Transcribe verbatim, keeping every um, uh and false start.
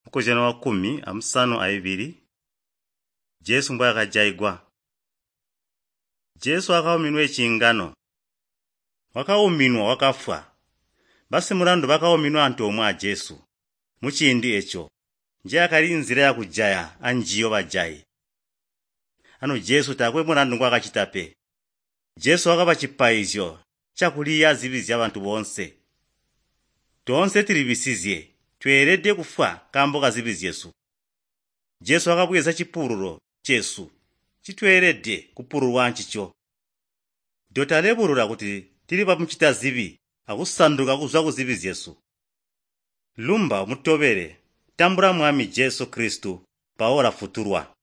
Mukozyano wa kkumi amusanu aibili Jesu mbwaakajaigwa. Jesu wakauminwa eciingano. Wakauminwa wakafwa. Basimulandu bakauminwa antoomwe a Jesu. Muciindi eco njeyakali nzila yakujaya anjiyo bajayi. Anu Jesu taakwe mulandu ngwaakacita pe. Jesu wakaba cipaizyo cakuliya zibi zyabantu boonse. Toonse tulibisizye, tweelede kufwa nkaambo kazibi zyesu. Jesu wakabweza cipululo cesu ncitweelede kupululwa ancico. Dotalebulula kuti tili bamucita zibi akusanduka kuzwa kuzibi zyesu. Lumba umutobele, tambula Mwami Jesu Kristu mpawo ulafutulwa.